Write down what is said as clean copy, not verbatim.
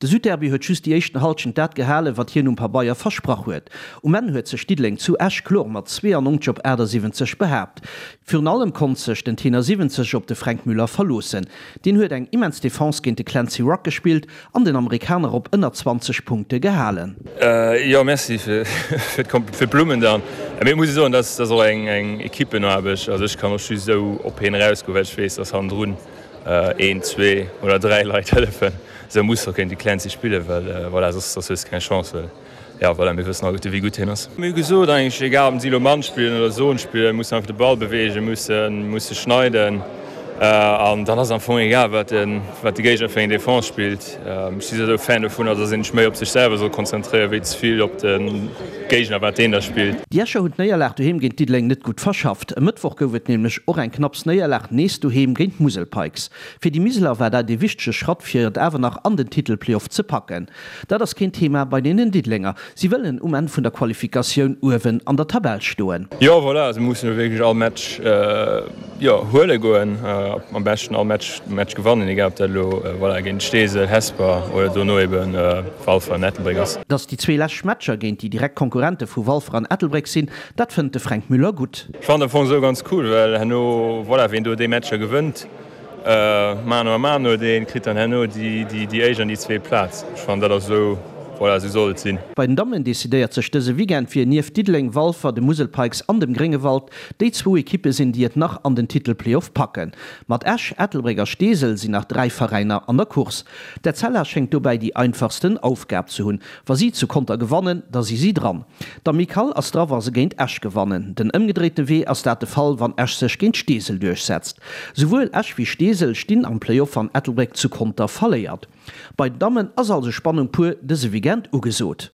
De Südderby huet just déi éischten Halschent dat gehalen, wat hien um Pabeier versprach huet. Um Enn huet sech Diddeleng zu Esch kloer mat 92 op 78 behaapt. Virun allem konnt sech den Tenor 70 op de Fränk Müller verloossen. Deen huet eng immens Defense géint de Clancy Rugg gespillt an den Amerikaner op ënner 20 Punkte gehalen. Jo, merci fir d'Blummen dann. Mee et muss ee soen, dat ass och eng Equippenaarbecht. Also ech kann och just esou op hien erausgoen, well ech weess, datt hannendrun een, zwee oder dräi Leit hëllefen. Esou muss och géint de Clancy spillen, well voilà, soss hues de keng Chance. Well Jo, voilà, mir wëssen alleguerte wéi gutt hien ass. Mir hu gesot eigentlech, egal ob si elo Mann spillen oder Zone spillen, mussen einfach de Ball beweegen, mussen, musse schneiden an dann ass am Fong egal wat de, wat de Géigner fir eng Defense spillt. Ech si souwisou Fan dovunner, dass een sech méi op sech selwer soll konzentréieren, wéi ze vill op de Géigner, wat deen da spillt. Déi Escher hunn d'Néierlag doheem géint Diddeleng net gutt verschafft. E Mëttwoch gouf et nämlech och eng knapps Néierlag nees doheem géint d'Musel Pikes. Fir déi Miseler war dat ee wichtege Schratt fir et awer nach an den Titelplayoff ze packen. Dat ass keen Thema bei deenen Diddelenger. Si wëllen um Enn vun der Qualifikatioun uewen an der Tabell stoen. Jo voilà, also mir mussen elo wierklech all Match jo huele goen, am beschten all Match Match gewannen, egal ob dat elo voilà géint Steesel, Hesper oder dono eben Walfer an Ettelbréck ass. Datt déi zwee lescht Matcher géint déi direkt Konkurrente vu Walfer an Ettelbréck sinn, dat fënnt de Fränk Müller gutt. Ech fannen am Fong esou ganz cool, well herno voilà ween do déi Matcher gewënnt, Mano a mano, dee kritt dann herno déi éischt an déi zweet Plaz. Ech fannen, dat ass esou, voilà, esou soll et sinn. Bei den Dammen decidéiert sech dëse Weekend, wien nieft Diddeleng, Walfer, de Musel Pikes an dem Gréngewald déi zwou Ekippe sinn, déi et nach an den Titel-Playoff packen. Mat Esch, Ettelbréck a Steesel sinn nach 3 Veräiner an der Course. D'Etzella schéngt dobäi déi einfachsten Aufgab ze hunn. Wa si zu Conter gewannen, da si si dran. D'Amicale ass dra wa se géint Esch gewannen. Den ëmgedréite Wee ass dat de Fall, wann Esch sech géint Steesel duerchsetzt. Souwuel Esch wéi Steesel stinn am Playoff wann Ettelbréck zu Conter verléiert. Bei den Dammen ass also Spannung pur dëse Weekend ugesot.